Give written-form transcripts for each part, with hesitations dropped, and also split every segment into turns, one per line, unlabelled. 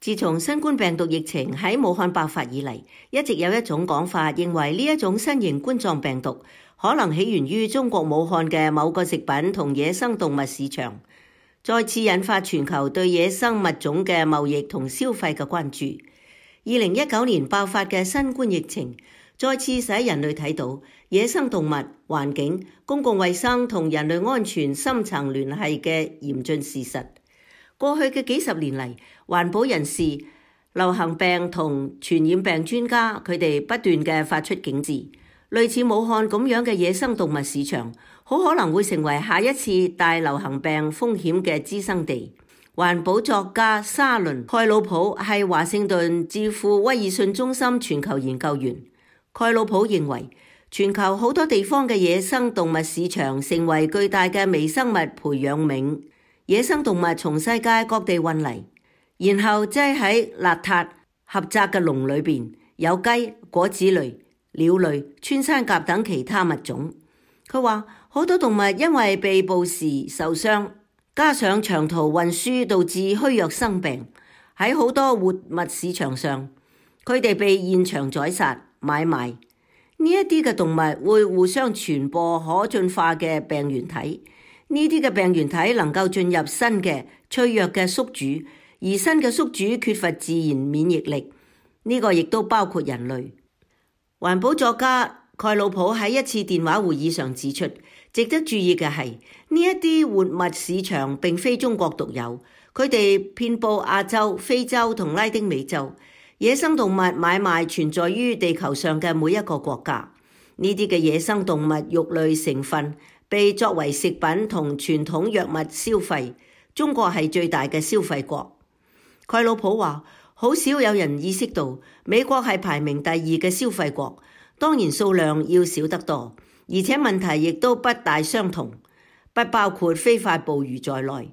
自從新冠病毒疫情喺武漢爆發以嚟，一直有一種講法，認為呢一種新型冠狀病毒可能起源於中國武漢嘅某個食品同野生動物市場，再次引發全球對野生物種嘅貿易同消費嘅關注。2019年爆發嘅新冠疫情，再次使人類睇到野生動物、環境、公共衛生同人類安全深層聯繫嘅嚴峻事實。過去嘅幾十年嚟，環保人士、流行病同傳染病專家，佢哋不斷嘅發出警示，類似武漢咁樣嘅野生動物市場，好可能會成為下一次大流行病風險嘅滋生地。環保作家沙倫·蓋魯普係華盛頓智庫威爾遜中心全球研究員。蓋魯普認為，全球好多地方嘅野生動物市場成為巨大嘅微生物培養皿。野生動物從世界各地運嚟，然後擠喺邋遢狹窄嘅籠裏邊，有雞、果子類、鳥類、穿山甲等其他物種。佢話好多動物因為被捕時受傷，加上長途運輸導致虛弱生病，喺好多活物市場上，佢哋被現場宰殺買賣。呢一啲嘅動物會互相傳播可進化嘅病原體。呢啲嘅病原體能夠進入新嘅脆弱嘅宿主，而新嘅宿主缺乏自然免疫力。呢個亦都包括人類。環保作家蓋魯普喺一次電話會議上指出，值得注意嘅係呢一啲活物市場並非中國獨有，佢哋遍佈亞洲、非洲同拉丁美洲。野生動物買賣存在於地球上嘅每一個國家。呢啲嘅野生動物肉類成分被作為食品同傳統藥物消費，中國係最大嘅消費國。蓋魯普話，好少有人意識到美國係排名第二嘅消費國，當然數量要少得多，而且問題亦都不大相同，不包括非法捕魚在內。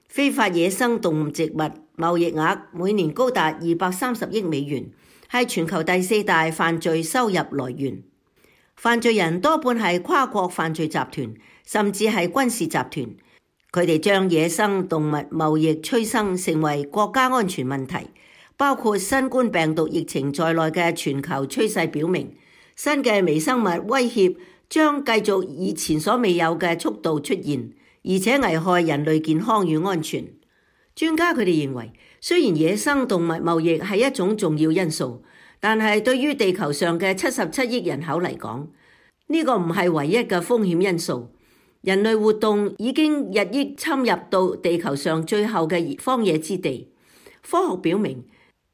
非法野生動植物貿易額每年高達230億美元，係全球第4大犯罪收入來源。犯罪人多半係跨國犯罪集團，甚至係軍事集團。佢哋將野生動物貿易催生成為國家安全問題，包括新冠病毒疫情在內嘅全球趨勢表明，新嘅微生物威脅將繼續以前所未有嘅速度出現，而且危害人類健康與安全。專家佢哋認為，雖然野生動物貿易係一種重要因素，但係對於地球上嘅77億人口嚟講，呢個唔係唯一嘅風險因素。人類活動已經日益侵入到地球上最後嘅荒野之地。科學表明，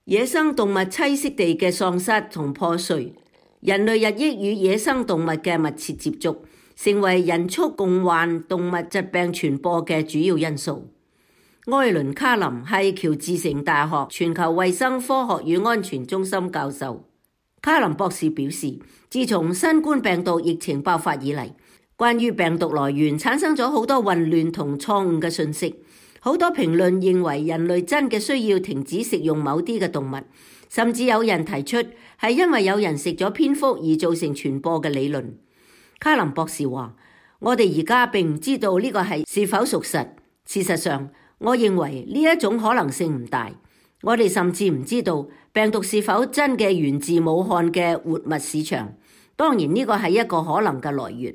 野生動物棲息地嘅喪失同破碎，人類日益與野生動物嘅密切接觸，成為人畜共患動物疾病傳播嘅主要因素。埃倫·卡林係喬治城大學全球衛生科學與安全中心教授。卡林博士表示，自從新冠病毒疫情爆發以嚟，關於病毒來源產生咗好多混亂同錯誤嘅信息。好多評論認為人類真嘅需要停止食用某啲嘅動物，甚至有人提出係因為有人食咗蝙蝠而造成傳播嘅理論。卡林博士話，我哋而家並唔知道呢個係是否屬實。事實上，我認為呢一種可能性唔大。我哋甚至唔知道病毒是否真嘅源自武漢嘅活物市場。當然呢個係一個可能嘅來源。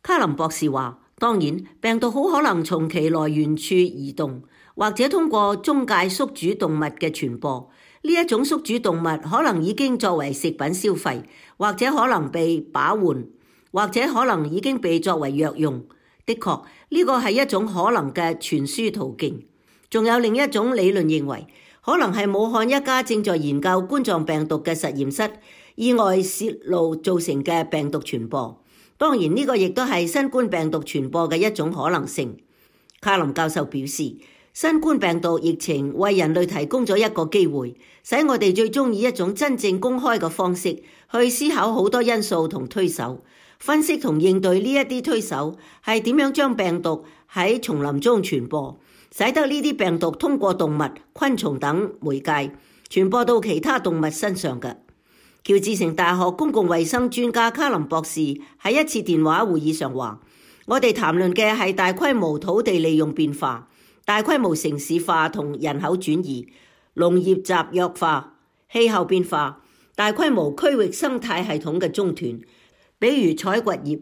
卡林博士話，當然病毒好可能從其來源處移動，或者通過中介宿主動物嘅傳播。呢一種宿主動物可能已經作為食品消費，或者可能被把玩，或者可能已經被作為藥用。的確，呢個係一種可能嘅傳輸途徑。仲有另一種理論認為，可能係武漢一家正在研究冠狀病毒嘅實驗室意外泄露造成嘅病毒傳播。當然呢個亦都係新冠病毒傳播嘅一種可能性。卡林教授表示，新冠病毒疫情為人類提供咗一個機會，使我哋最終以一種真正公開嘅方式去思考好多因素同推手，分析同應對呢一啲推手係點樣將病毒喺叢林中傳播，使得呢啲病毒通過動物、昆蟲等媒介傳播到其他動物身上嘅。喬治城大學公共衛生專家卡林博士喺一次電話會議上話，我哋談論嘅係大規模土地利用變化、大規模城市化同人口轉移，農業集約化、氣候變化、大規模區域生態系統嘅中斷，比如採掘業、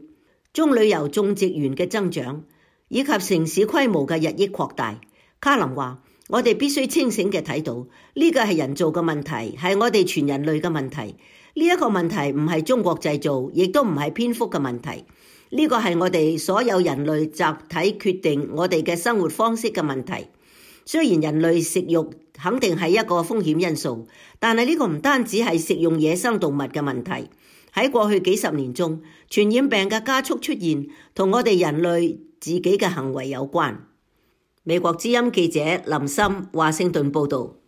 棕櫚油種植園嘅增長，以及城市規模嘅日益擴大。卡林話：我哋必須清醒嘅睇到，呢個係人造嘅問題，係我哋全人類嘅問題。呢一個問題唔係中國製造，亦都唔係蝙蝠嘅問題。呢個係我哋所有人類集體決定我哋嘅生活方式嘅問題。雖然人類食肉肯定係一個風險因素，但係呢個唔單止係食用野生動物嘅問題。喺過去幾十年中，傳染病嘅加速出現，同我哋人類自己嘅行為有關。美國之音記者林森華盛頓報道。